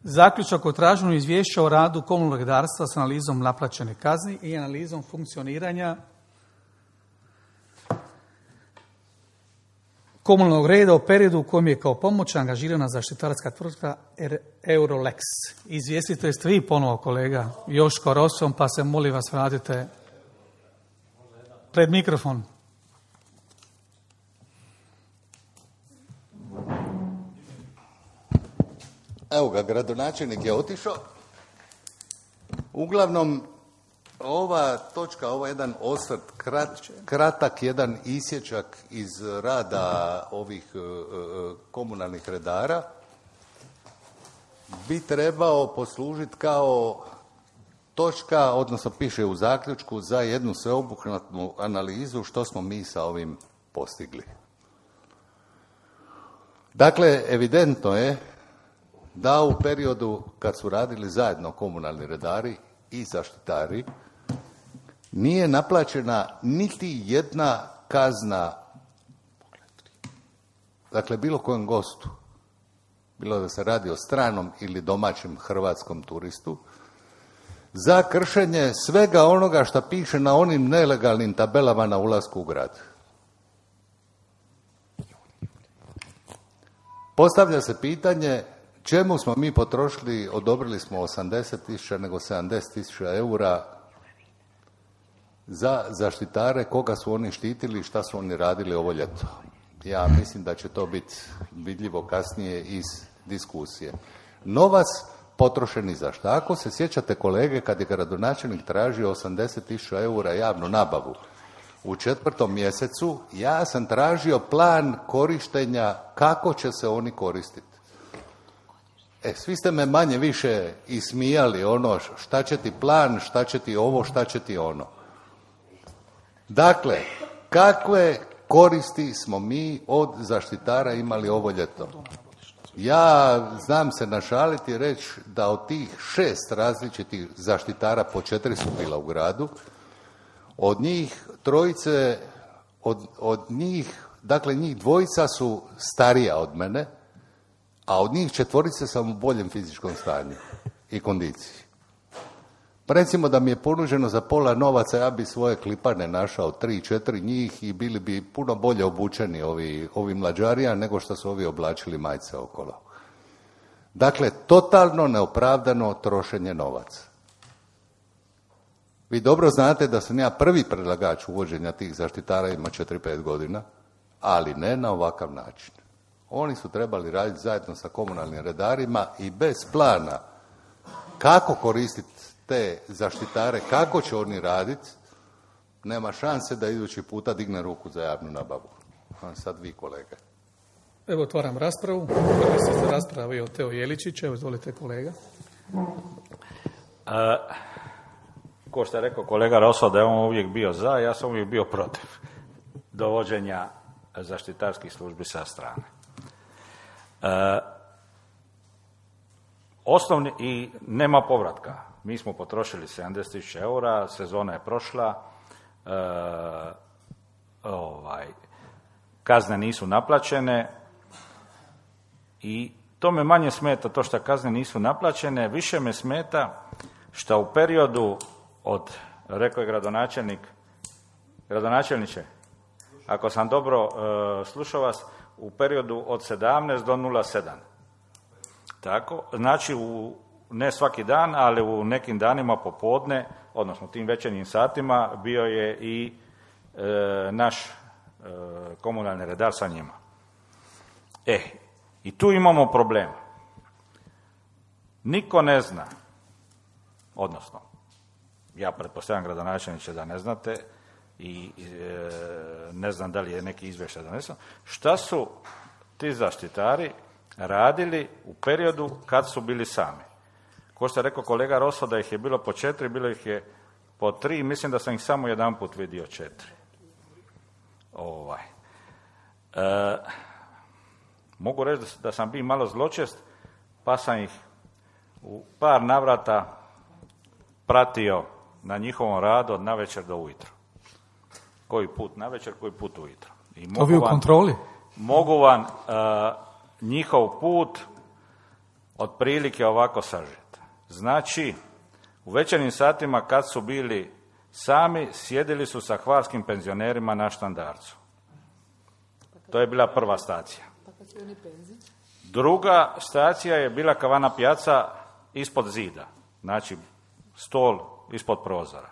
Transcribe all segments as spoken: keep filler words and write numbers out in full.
Zaključak o traženju izvješća o radu komunalnog redarstva s analizom naplaćene kazni i analizom funkcioniranja komunalnog reda u periodu u kojem je kao pomoć angažirana zaštitarska tvrtka Eurolex. Izvjestite ste vi ponovo, kolega Joško Rosom, pa se molim vas vratite pred mikrofon. Evo ga, gradonačelnik je otišao. Uglavnom, ova točka, ovo je jedan osvrt, krat, kratak jedan isječak iz rada ovih e, komunalnih redara bi trebao poslužiti kao točka, odnosno piše u zaključku, za jednu sveobuhvatnu analizu što smo mi sa ovim postigli. Dakle, evidentno je da u periodu kad su radili zajedno komunalni redari i zaštitari nije naplaćena niti jedna kazna, dakle bilo kojem gostu, bilo da se radi o stranom ili domaćem hrvatskom turistu, za kršenje svega onoga što piše na onim nelegalnim tabelama na ulasku u grad. Postavlja se pitanje čemu smo mi potrošili, odobrili smo osamdeset tisuća nego sedamdeset tisuća eura za zaštitare, koga su oni štitili i šta su oni radili ovo ljeto. Ja mislim da će to biti vidljivo kasnije iz diskusije. Novac potrošen i zašto? Ako se sjećate, kolege, kad je gradonačelnik tražio osamdeset tisuća eura javnu nabavu u četvrtom mjesecu, ja sam tražio plan korištenja, kako će se oni koristiti. E, svi ste me manje više ismijali, ono, šta će ti plan, šta će ti ovo, šta će ti ono. Dakle, kakve koristi smo mi od zaštitara imali ovo ljeto? Ja znam se našaliti i reći da od tih šest različitih zaštitara, po četiri su bila u gradu, od njih trojice, od, od njih, dakle njih dvojica su starija od mene, a od njih četvorice sam u boljem fizičkom stanju i kondiciji. Pa recimo da mi je ponuđeno za pola novaca, ja bi svoje klipane našao, tri, četiri njih i bili bi puno bolje obučeni ovi, ovi mlađarija nego što su ovi oblačili majice okolo. Dakle, totalno neopravdano trošenje novaca. Vi dobro znate da sam ja prvi predlagač uvođenja tih zaštitara, ima četiri pet godina, ali ne na ovakav način. Oni su trebali raditi zajedno sa komunalnim redarima i bez plana kako koristiti te zaštitare, kako će oni raditi, nema šanse da idući puta digne ruku za javnu nabavu. Sad vi, kolege. Evo, otvaram raspravu. Prvi se za raspravu je Teo Jeličić. Evo, izvolite, kolega. A, ko što je rekao kolega Roso da je on uvijek bio za, ja sam uvijek bio protiv dovođenja zaštitarskih službi sa strane. E, osnovni i nema povratka. Mi smo potrošili sedamdeset tisuća eura, sezona je prošla, e, ovaj, kazne nisu naplaćene i to me manje smeta, to što kazne nisu naplaćene, više me smeta što u periodu od, rekao je gradonačelnik, gradonačelniče, ako sam dobro e, slušao vas, u periodu od sedamnaest do nula sedam. Tako, znači u, ne svaki dan, ali u nekim danima popodne, odnosno tim večernjim satima, bio je i e, naš e, komunalni redar sa njima. E, i tu imamo problem. Niko ne zna, odnosno, ja pretpostavljam gradonačelniče da ne znate, i e, ne znam da li je neki izvještaj donesen, šta su ti zaštitari radili u periodu kad su bili sami. Ko što je rekao kolega Roso da ih je bilo po četiri, bilo ih je po tri, mislim da sam ih samo jedan put vidio četiri. Ovaj. E, mogu reći da sam bio malo zločest, pa sam ih u par navrata pratio na njihovom radu od navečer do ujutro. Koji put navečer, koji put ujutro. I mogu Ovi u vam, kontroli? Mogu vam uh, njihov put otprilike ovako sažet. Znači, u večernjim satima kad su bili sami, sjedili su sa hvarskim penzionerima na Štandarcu. To je bila prva stacija. Druga stacija je bila Kavana Pijaca ispod zida, znači stol ispod prozora.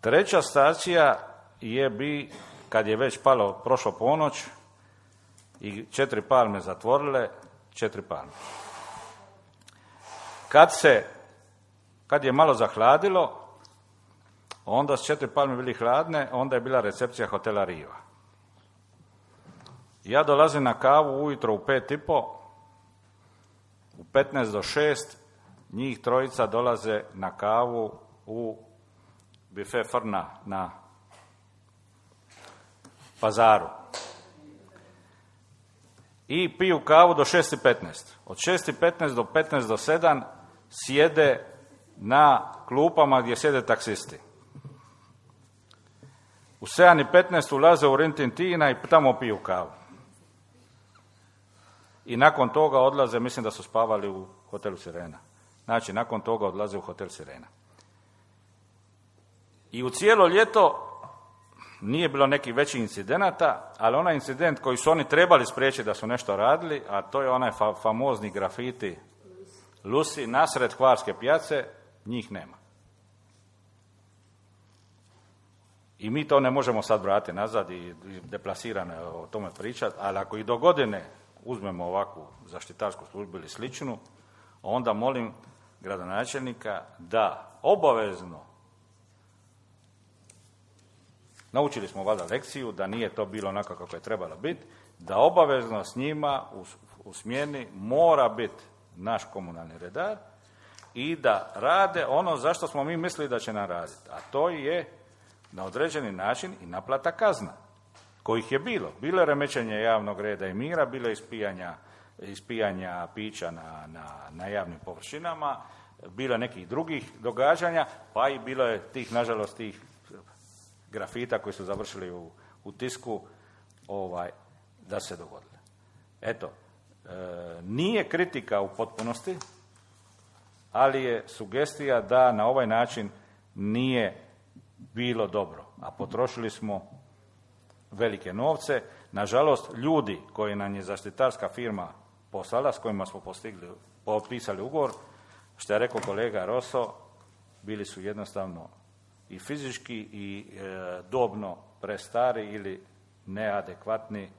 Treća stacija je bi, kad je već palo, prošlo ponoć i četiri palme zatvorile, četiri palme. Kad se, kad je malo zahladilo, onda s četiri palme bili hladne, onda je bila recepcija hotela Riva. Ja dolazim na kavu ujutro u pet i po, u petnaest do šest, njih trojica dolaze na kavu u bife Frna na Pazaru. I piju kavu do šest i petnaest. Od šest i petnaest do petnaest do sedam sjede na klupama gdje sjede taksisti. U sedam i petnaest ulaze u Rintintina i tamo piju kavu. I nakon toga odlaze, mislim da su spavali u hotelu Sirena. Znači, nakon toga odlaze u hotel Sirena. I u cijelo ljeto nije bilo nekih većih incidenata, ali onaj incident koji su oni trebali spriječiti da su nešto radili, a to je onaj fa- famozni grafiti Lusi nasred Hvarske pijace, njih nema. I mi to ne možemo sad vratiti nazad i, i deplasirane o tome pričati, ali ako i do godine uzmemo ovakvu zaštitarsku službu ili sličnu, onda molim gradonačelnika da obavezno, naučili smo valjda lekciju, da nije to bilo onako kako je trebalo biti, da obavezno s njima u, u smjeni mora biti naš komunalni redar i da rade ono zašto smo mi mislili da će nam raditi. A to je na određeni način i naplata kazna, kojih je bilo. Bilo je remećenje javnog reda i mira, bilo je ispijanja, ispijanja pića na, na, na javnim površinama, bilo je nekih drugih događanja, pa i bilo je tih, nažalost, tih grafita koji su završili u, u tisku, ovaj, da se dogodile. Eto, e, nije kritika u potpunosti, ali je sugestija da na ovaj način nije bilo dobro, a potrošili smo velike novce. Nažalost, ljudi koji nam je zaštitarska firma poslala, s kojima smo postigli, potpisali ugovor, što je rekao kolega Roso, bili su jednostavno i fizički i e, dobno prestari ili neadekvatni,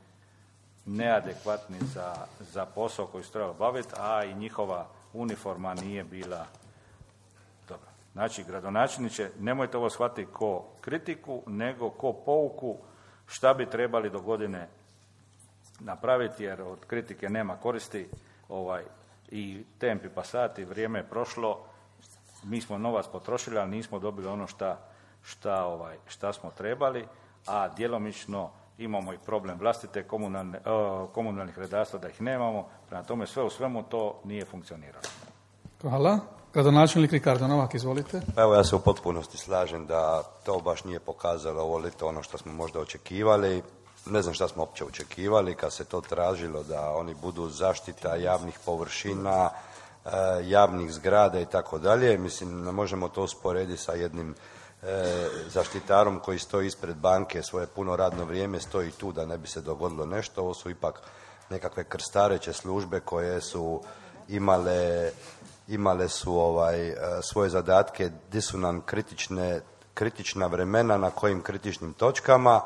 neadekvatni za, za posao koji su trebali baviti, a i njihova uniforma nije bila dobra. Znači, gradonačelniče, nemojte ovo shvatiti ko kritiku, nego ko pouku šta bi trebali do godine napraviti, jer od kritike nema koristi, ovaj, i tempi pasati, vrijeme je prošlo, mi smo novac potrošili, ali nismo dobili ono šta, šta, ovaj, šta smo trebali, a djelomično imamo i problem vlastite komunalne, uh, komunalnih redarstva da ih nemamo, prema tome sve u svemu to nije funkcioniralo. Hvala. Gradonačelnik Ricardo Novak, izvolite. Pa evo, ja se u potpunosti slažem da to baš nije pokazalo ovo ljeto ono što smo možda očekivali. Ne znam šta smo uopće očekivali kad se to tražilo da oni budu zaštita javnih površina, javnih zgrada i tako dalje. Mislim, ne možemo to usporediti sa jednim e, zaštitarom koji stoji ispred banke svoje puno radno vrijeme, stoji tu da ne bi se dogodilo nešto. Ovo su ipak nekakve krstareće službe koje su imale, imale su ovaj, svoje zadatke, gdje su nam kritične, kritična vremena, na kojim kritičnim točkama.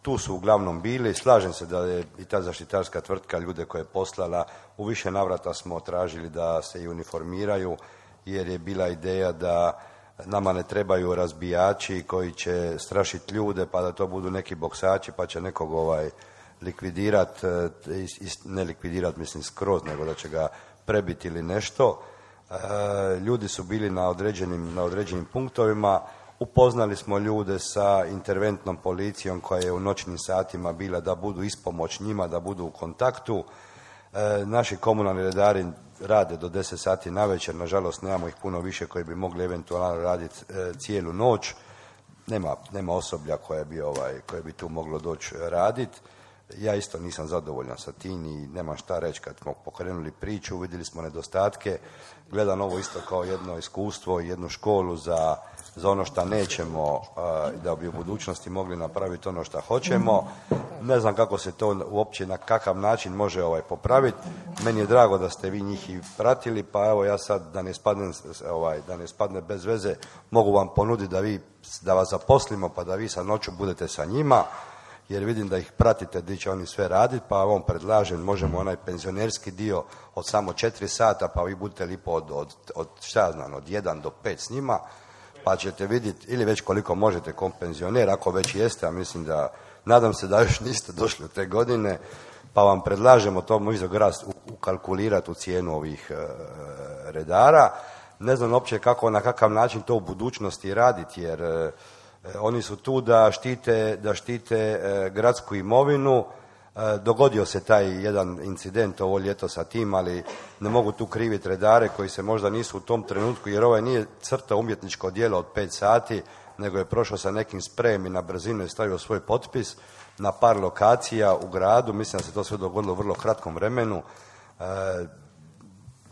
Tu su uglavnom bili. Slažem se da je i ta zaštitarska tvrtka ljude koje je poslala, u više navrata smo tražili da se i uniformiraju, jer je bila ideja da nama ne trebaju razbijači koji će strašiti ljude, pa da to budu neki boksači, pa će nekog ovaj likvidirati, ne likvidirati mislim skroz, nego da će ga prebiti ili nešto. Ljudi su bili na određenim, na određenim punktovima. Upoznali smo ljude sa interventnom policijom koja je u noćnim satima bila da budu ispomoć njima, da budu u kontaktu. E, naši komunalni redari rade do deset sati navečer, nažalost nemamo ih puno više koji bi mogli eventualno raditi e, cijelu noć. Nema, nema osoblja koje bi, ovaj, koje bi tu moglo doći raditi. Ja isto nisam zadovoljan sa tim i nemam šta reći. Kad smo pokrenuli priču, vidjeli smo nedostatke, gledam ovo isto kao jedno iskustvo i jednu školu za, za ono što nećemo, da bi u budućnosti mogli napraviti ono što hoćemo. Ne znam kako se to uopće, na kakav način može ovaj popraviti. Meni je drago da ste vi njih i pratili, pa evo ja sad da ne spadne, ovaj, da ne spadne bez veze, mogu vam ponuditi da, vi, da vas zaposlimo pa da vi sa noću budete sa njima, jer vidim da ih pratite gdje će oni sve raditi, pa vam predlažem, možemo onaj penzionerski dio od samo četiri sata, pa vi budete lipo od, od, od šta ja znam, od jedan do pet s njima, pa ćete vidjeti, ili već koliko možete kom penzioner, ako već jeste, a mislim da, nadam se da još niste došli u te godine, pa vam predlažemo to možda grad ukalkulirati u cijenu ovih e, redara. Ne znam uopće kako, na kakav način to u budućnosti raditi, jer e, oni su tu da štite, da štite e, gradsku imovinu. E, dogodio se taj jedan incident ovo ljeto sa tim, ali ne mogu tu kriviti redare koji se možda nisu u tom trenutku, jer ovaj nije crta umjetničko djelo od pet sati, nego je prošao sa nekim sprejem i na brzinu je stavio svoj potpis na par lokacija u gradu. Mislim da se to sve dogodilo u vrlo kratkom vremenu. E,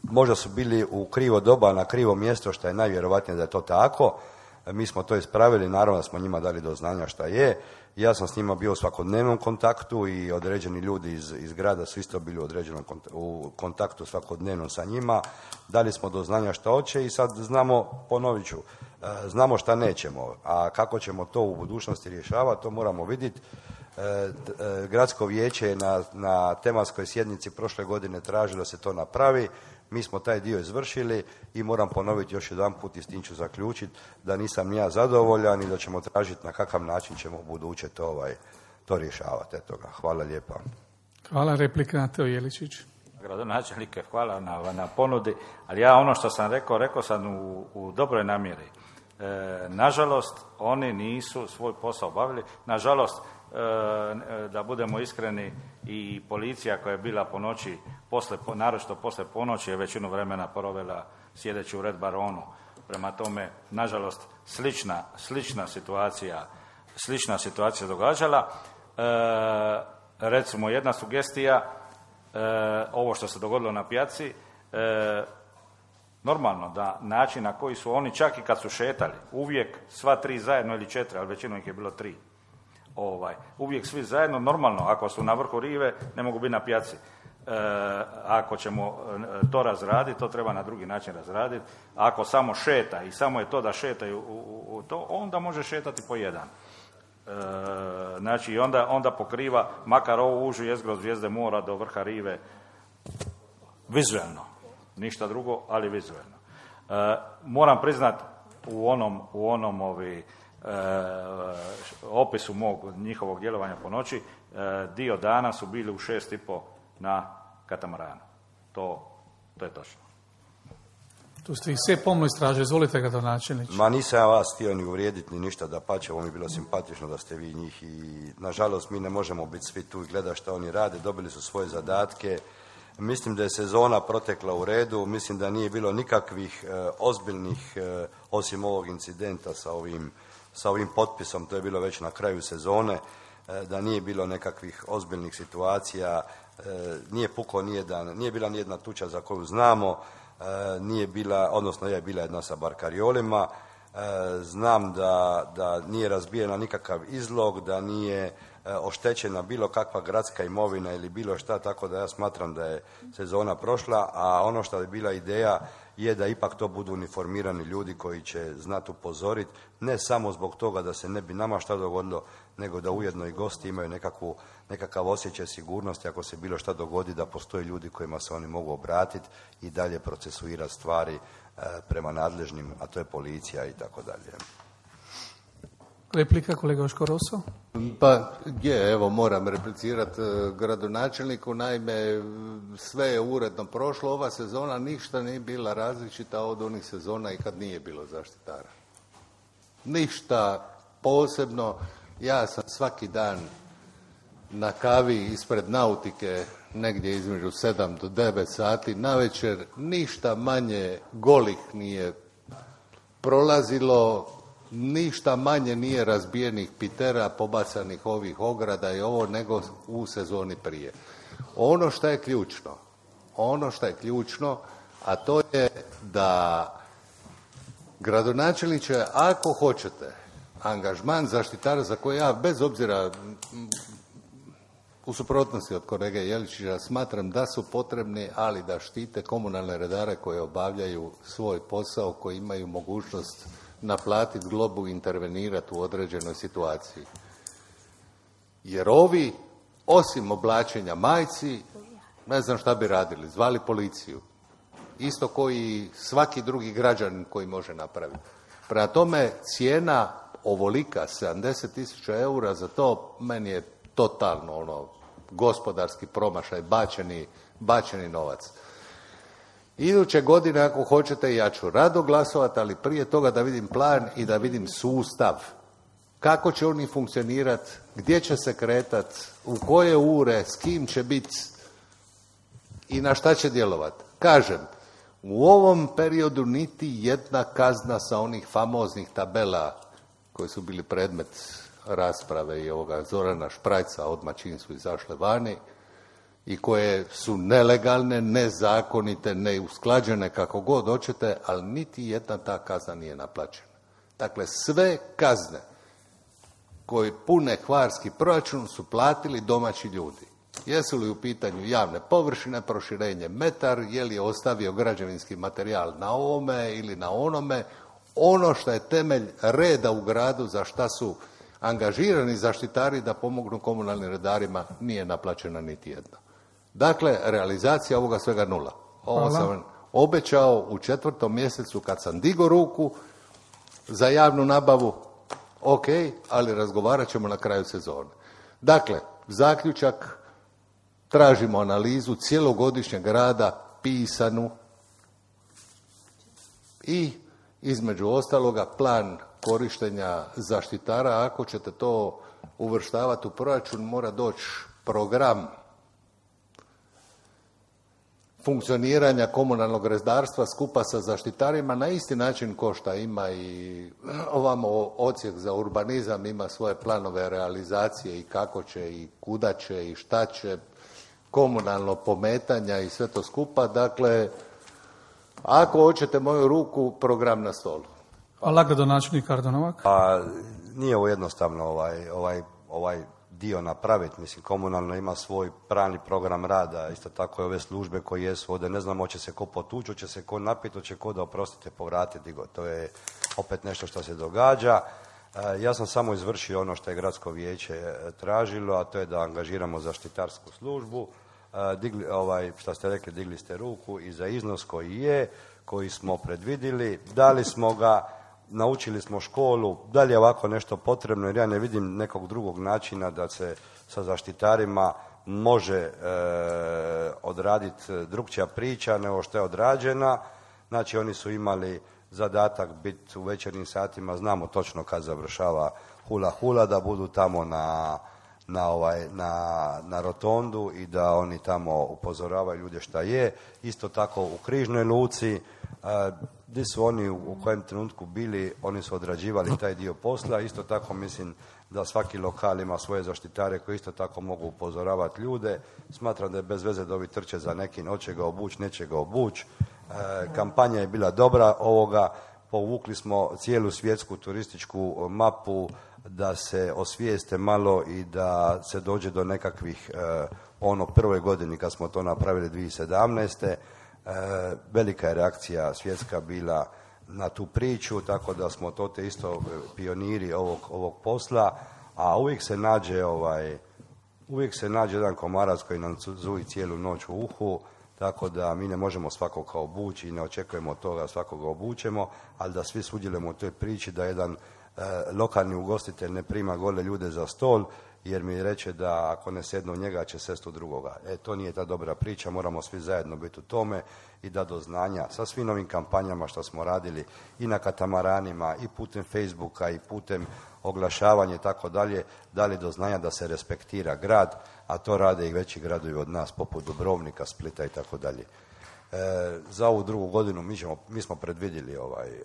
možda su bili u krivo doba na krivo mjesto, što je najvjerojatnije da je to tako. Mi smo to ispravili, naravno da smo njima dali do znanja šta je. Ja sam s njima bio u svakodnevnom kontaktu i određeni ljudi iz, iz grada su isto bili u određenom kontaktu, u kontaktu svakodnevno sa njima. Dali smo do znanja šta hoće i sad znamo, ponovit ću, znamo šta nećemo. A kako ćemo to u budućnosti rješavati, to moramo vidjeti. Gradsko vijeće je na, na tematskoj sjednici prošle godine tražilo da se to napravi. Mi smo taj dio izvršili i moram ponoviti još jedan put i s tim ću zaključiti da nisam ni ja zadovoljan i da ćemo tražiti na kakav način ćemo u buduće to, ovaj, to rješavati. Eto ga. Hvala lijepa. Hvala. Replika na Teo Jeličić. Gradonačelnike, hvala na, na ponudi, ali ja ono što sam rekao, rekao sam u, u dobroj namjeri. E, nažalost, oni nisu svoj posao obavili. Nažalost, e, da budemo iskreni, i policija koja je bila po noći, posle, naročito posle ponoći, je većinu vremena provela sjedeći u Red Baronu. Prema tome, nažalost, slična, slična situacija, slična situacija događala. E, recimo, jedna sugestija, e, ovo što se dogodilo na pijaci, e, normalno da način na koji su oni, čak i kad su šetali, uvijek sva tri zajedno ili četiri, ali većinom ih je bilo tri, ovaj, uvijek svi zajedno, normalno, ako su na vrhu rive, ne mogu biti na pijaci. E, ako ćemo to razraditi, to treba na drugi način razraditi. Ako samo šeta i samo je to da šetaju u, u, u to, onda može šetati po jedan. E, znači, onda, onda pokriva makar ovu užu jezgru od Zvijezde mora do vrha rive vizuelno. Ništa drugo, ali vizuelno. E, moram priznat, u onom, u onom ovi, e, opisu mog njihovog djelovanja po noći, e, dio dana su bili u šest i po na katamaranu. To, to je točno. Tu ste ih sve pomno istražili. Izvolite, gradonačelnič. Ma nisam ja vas htio ni uvrijediti ni ništa, dapače, ovo mi je bilo simpatično da ste vi njih i nažalost mi ne možemo biti svi tu i gledati što oni rade, dobili su svoje zadatke. Mislim da je sezona protekla u redu, mislim da nije bilo nikakvih e, ozbiljnih, e, osim ovog incidenta sa ovim, sa ovim potpisom, to je bilo već na kraju sezone, e, da nije bilo nekakvih ozbiljnih situacija, e, nije pukao nijedan, nije bila nijedna tuča za koju znamo, e, nije bila, odnosno je bila jedna sa barkariolima, e, znam da, da nije razbijena nikakav izlog, da nije oštećena bilo kakva gradska imovina ili bilo šta, tako da ja smatram da je sezona prošla, a ono što je bila ideja je da ipak to budu uniformirani ljudi koji će znati upozoriti, ne samo zbog toga da se ne bi nama šta dogodilo, nego da ujedno i gosti imaju nekakvu, nekakav osjećaj sigurnosti ako se bilo šta dogodi, da postoje ljudi kojima se oni mogu obratiti i dalje procesuirati stvari e, prema nadležnim, a to je policija i tako dalje. Replika, kolega Joško Roso. Pa je, evo moram replicirati gradonačelniku, naime sve je uredno prošlo, ova sezona ništa nije bila različita od onih sezona i kad nije bilo zaštitara. Ništa posebno, ja sam svaki dan na kavi ispred Nautike negdje između sedam do devet sati, navečer ništa manje golih nije prolazilo, ništa manje nije razbijenih pitera, pobacanih ovih ograda i ovo, nego u sezoni prije. Ono što je ključno, ono što je ključno, a to je da gradonačelniče, ako hoćete angažman zaštitara za koje ja, bez obzira u suprotnosti od kolege Jeličića, smatram da su potrebni, ali da štite komunalne redare koje obavljaju svoj posao, koji imaju mogućnost naplatiti globu i intervenirati u određenoj situaciji. Jer ovi, osim oblačenja majci, ne znam šta bi radili, zvali policiju. Isto koji svaki drugi građanin koji može napraviti. Prema tome, cijena ovolika, sedamdeset tisuća eura, za to meni je totalno ono, gospodarski promašaj, bačeni, bačeni novac. Iduće godine, ako hoćete, ja ću rado glasovati, ali prije toga da vidim plan i da vidim sustav. Kako će oni funkcionirati, gdje će se kretati, u koje ure, s kim će biti i na šta će djelovati. Kažem, u ovom periodu niti jedna kazna sa onih famoznih tabela koji su bili predmet rasprave i ovoga Zorana Šprajca, odmah čim su izašle vani, i koje su nelegalne, nezakonite, neusklađene, kako god hoćete, ali niti jedna ta kazna nije naplaćena. Dakle, sve kazne koji pune hvarski proračun su platili domaći ljudi. Jesu li u pitanju javne površine, proširenje metar, je li je ostavio građevinski materijal na ovome ili na onome, ono što je temelj reda u gradu, za šta su angažirani zaštitari da pomognu komunalnim redarima, nije naplaćena niti jedna. Dakle, realizacija ovoga svega nula. Ovo Hvala. sam obećao u četvrtom mjesecu kad sam digo ruku za javnu nabavu, ok, ali razgovarat ćemo na kraju sezone. Dakle, zaključak, tražimo analizu cjelogodišnjeg rada, pisanu, i između ostaloga plan korištenja zaštitara. Ako ćete to uvrštavati u proračun, mora doći program funkcioniranja komunalnog redarstva skupa sa zaštitarima na isti način ko što ima i ovamo odsjek za urbanizam, ima svoje planove realizacije i kako će i kuda će i šta će, komunalno pometanja i sve to skupa. Dakle, ako hoćete moju ruku, program na stolu. Hvala, gradonačelnik Ardonovak. Pa nije ovo jednostavno ovaj, ovaj, ovaj dio napraviti. Mislim, komunalno ima svoj pravni program rada, isto tako i ove službe koje jesu ovdje. Ne znam, hoće se ko potući, hoće se ko napiti, hoće ko da, oprostite, povratiti. To je opet nešto što se događa. Ja sam samo izvršio ono što je gradsko vijeće tražilo, a to je da angažiramo zaštitarsku službu. Digli, ovaj, što ste rekli, digli ste ruku i za iznos koji je, koji smo predvidili, dali smo ga, naučili smo školu, da li je ovako nešto potrebno, jer ja ne vidim nekog drugog načina da se sa zaštitarima može e, odraditi drugčija priča nego što je odrađena. Znači, oni su imali zadatak biti u večernjim satima, znamo točno kad završava hula hula, da budu tamo na, na, ovaj, na, na rotondu i da oni tamo upozoravaju ljude šta je. Isto tako u Križnoj luci, gdje su oni u kojem trenutku bili, oni su odrađivali taj dio posla. Isto tako mislim da svaki lokal ima svoje zaštitare koji isto tako mogu upozoravati ljude. Smatram da je bez veze da ovi trče za nekim, hoće ga obući, neće ga obući. E, kampanja je bila dobra ovoga, povukli smo cijelu svjetsku turističku mapu da se osvijeste malo i da se dođe do nekakvih, e, ono prvoj godini kad smo to napravili dvije tisuće sedamnaeste. E, velika je reakcija svjetska bila na tu priču, tako da smo to te isto pioniri ovog, ovog posla, a uvijek se nađe ovaj, uvijek se nađe jedan komarac koji nam zuji cijelu noć u uhu, tako da mi ne možemo svakoga obući i ne očekujemo od toga svakoga obučemo, ali da svi sudjelujemo u toj priči, da jedan e, lokalni ugostitelj ne prima gole ljude za stol, jer mi reče da ako ne sednu njega će sest u drugoga. E, to nije ta dobra priča, moramo svi zajedno biti u tome i da do znanja sa svim novim kampanjama što smo radili i na katamaranima i putem Facebooka i putem oglašavanja i tako dalje, dali do znanja da se respektira grad, a to rade i veći gradovi od nas poput Dubrovnika, Splita i tako dalje. E, za ovu drugu godinu mi, ćemo, mi smo predvidjeli ovaj, e,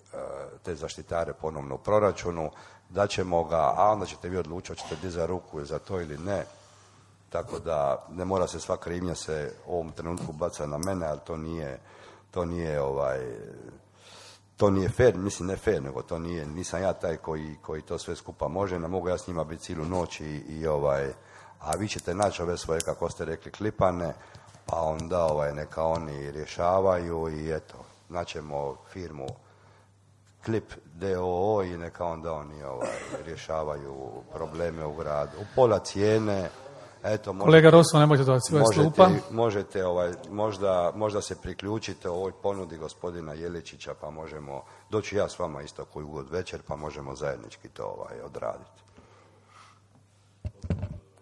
te zaštitare ponovno u proračunu, da ćemo ga, a onda ćete vi odlučiti, hoćete dizati ruku za to ili ne. Tako da ne mora se sva krivnja se u ovom trenutku baca na mene, ali to nije, to nije ovaj, to nije fair, mislim ne fair, nego to nije, nisam ja taj koji, koji to sve skupa može, ne mogu ja s njima biti cijelu noć i, i ovaj, a vi ćete naći ove svoje, kako ste rekli, klipane, pa onda ovaj, neka oni rješavaju i eto, naćemo firmu Klip D O O i neka onda oni ovaj, rješavaju probleme u gradu. U pola cijene, eto, možete, kolega Rosso, nemojte to svoje slupa. Možete, ovaj, možda, možda se priključite ovoj ponudi gospodina Jeličića, pa možemo doći ja s vama isto koju god večer, pa možemo zajednički to ovaj, odraditi.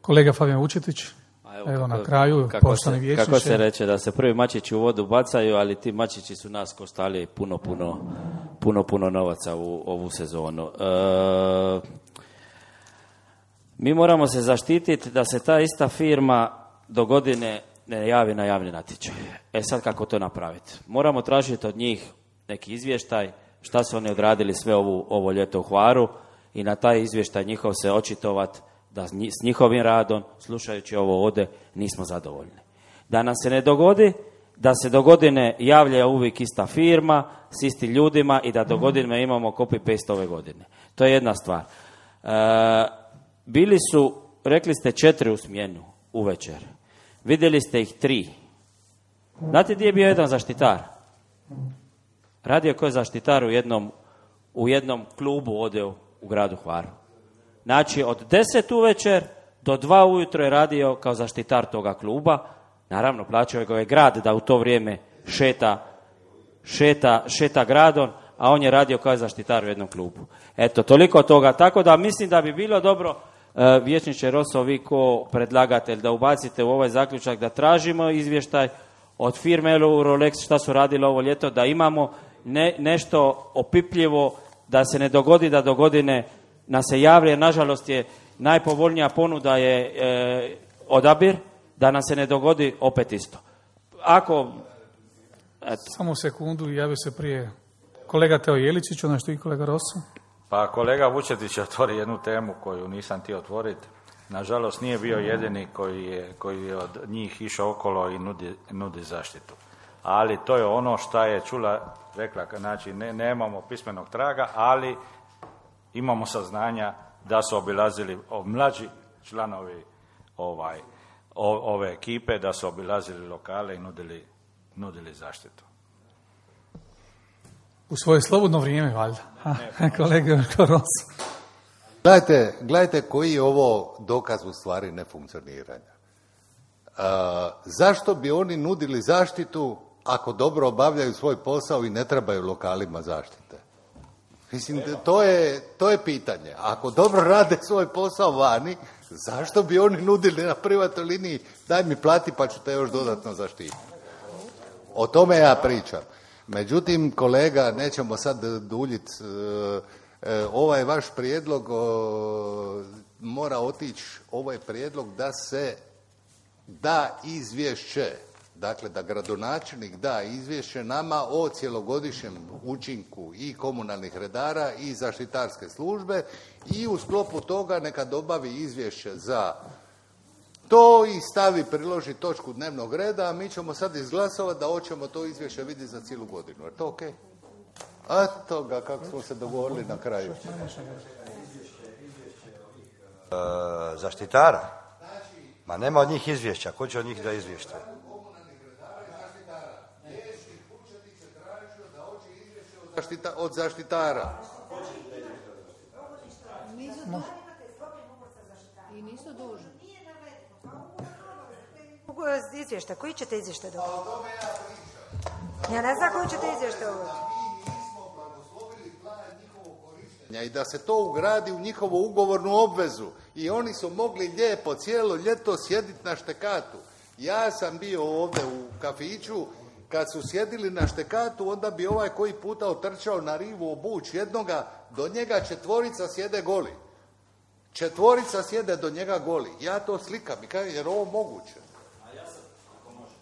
Kolega Fabijan Vučetić. Evo, evo kako, na kraju, kako se, kako se reče da se prvi mačići u vodu bacaju, ali ti mačići su nas koštali puno, puno, puno, puno novaca u ovu sezonu. E, mi moramo se zaštititi da se ta ista firma do godine ne javi na javni natječaj. E sad kako to napraviti? Moramo tražiti od njih neki izvještaj, šta su oni odradili sve ovu, ovo ljeto u Hvaru i na taj izvještaj njihov se očitovati da s njihovim radom, slušajući ovo ovdje, nismo zadovoljni. Da nam se ne dogodi, da se do godine javlja uvijek ista firma, s istim ljudima i da do godine imamo copy-paste ove godine. To je jedna stvar. E, bili su, rekli ste četiri u smjenu uvečer. Vidjeli ste ih tri. Znate gdje je bio jedan zaštitar? Radio koji je zaštitar u jednom, u jednom klubu ovdje u, u gradu Hvaru. Znači, od deset uvečer do dva ujutro je radio kao zaštitar toga kluba. Naravno, plaćao ga je grad da u to vrijeme šeta, šeta, šeta gradom, a on je radio kao zaštitar u jednom klubu. Eto, toliko toga. Tako da mislim da bi bilo dobro, uh, vijećniče Rosso, vi ko predlagatelj, da ubacite u ovaj zaključak da tražimo izvještaj od firme Eurolex šta su radili ovo ljeto, da imamo ne, nešto opipljivo, da se ne dogodi da do godine nas se javlja, jer nažalost je najpovoljnija ponuda je e, odabir, da nam se ne dogodi opet isto. Ako... Eto. Samo sekundu, javio se prije kolega Teo Jeličić, ono što i kolega Rosso. Pa kolega Vučetić otvori jednu temu koju nisam htio otvoriti. Nažalost nije bio jedini koji je, koji je od njih išao okolo i nudi, nudi zaštitu. Ali to je ono šta je čula, rekla, znači ne, nemamo pismenog traga, ali imamo saznanja da su obilazili o, mlađi članovi ovaj, o, ove ekipe, da su obilazili lokale i nudili, nudili zaštitu. U svoje slobodno vrijeme, valjda. Kolega Rosso. Gledajte, gledajte koji je ovo dokaz u stvari nefunkcioniranja. Uh, zašto bi oni nudili zaštitu ako dobro obavljaju svoj posao i ne trebaju lokalima zaštite? Mislim, to je, to je pitanje. Ako dobro rade svoj posao vani, zašto bi oni nudili na privatnoj liniji daj mi plati pa ću te još dodatno zaštititi? O tome ja pričam. Međutim, kolega, nećemo sad duljiti, ovaj vaš prijedlog mora otići, ovaj prijedlog da se da izvješće, dakle da gradonačelnik da izvješće nama o cjelogodišnjem učinku i komunalnih redara i zaštitarske službe i u sklopu toga neka dobavi izvješće za to i stavi, priloži točku dnevnog reda, a mi ćemo sad izglasovati da hoćemo to izvješće vidjeti za cijelu godinu. Je to okej? Okay? Eto ga, kako smo se dogovorili na kraju. E, zaštitara? Ma nema od njih izvješća. Ko će od njih da izvješće? Zaštita, od zaštitara. I nisu dužni. Izvještaj, koji ćete izvještaj dobiti? Ja ne znam koji ćete izvještaj dobiti. I da se to ugradi u njihovu ugovornu obvezu. I oni su mogli lijepo cijelo ljeto sjediti na štekatu. Ja sam bio ovdje u kafiću, kad su sjedili na štekatu, onda bi ovaj koji puta otrčao na rivu obuć jednoga, do njega četvorica sjede goli. Četvorica sjede do njega goli. Ja to slikam i kažem, jer ovo moguće.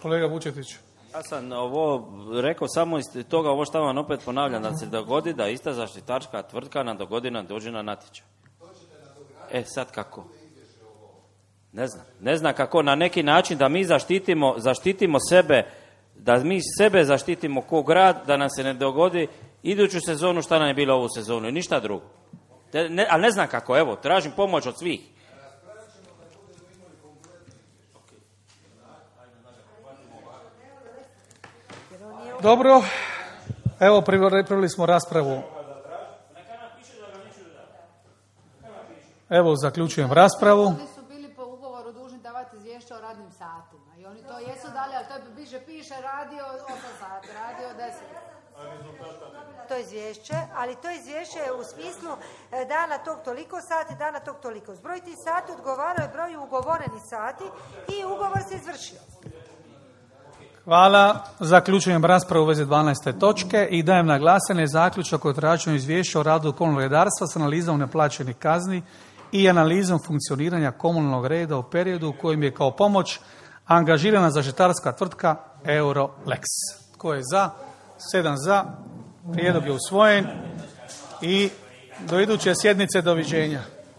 Kolega Vučetić. Ja sam ovo rekao samo iz toga, ovo što vam opet ponavljam, da se dogodi da ista zaštitarska tvrtka na do godina dođe na natječaj. E, sad kako? Ne znam. Ne znam kako, na neki način da mi zaštitimo, zaštitimo sebe, da mi sebe zaštitimo ko grad, da nam se ne dogodi iduću sezonu šta nam je bilo ovu sezonu i ništa drugo. Ne, ali ne znam kako, evo, tražim pomoć od svih. Dobro, evo pripremili smo raspravu. Evo zaključujem raspravu. Oni su bili po ugovoru dužni davati izvješće o radnim satima i oni to jesu dali, ali to više piše radio osam sati, radio deset. To izvješće, ali to izvješće je u smislu e, dana tog toliko sati, dana tog toliko. Zbroj tih sati odgovaraju broju ugovorenih sati i ugovor se izvršio. Hvala. Zaključujem raspravu u vezi dvanaeste točke i dajem na glasanje zaključak o traženju izvješća o radu komunalnog redarstva s analizom neplaćenih kazni i analizom funkcioniranja komunalnog reda u periodu u kojem je kao pomoć angažirana zaštitarska tvrtka Eurolex. Tko je za? Sedam za. Prijedlog je usvojen i do iduće sjednice doviđenja.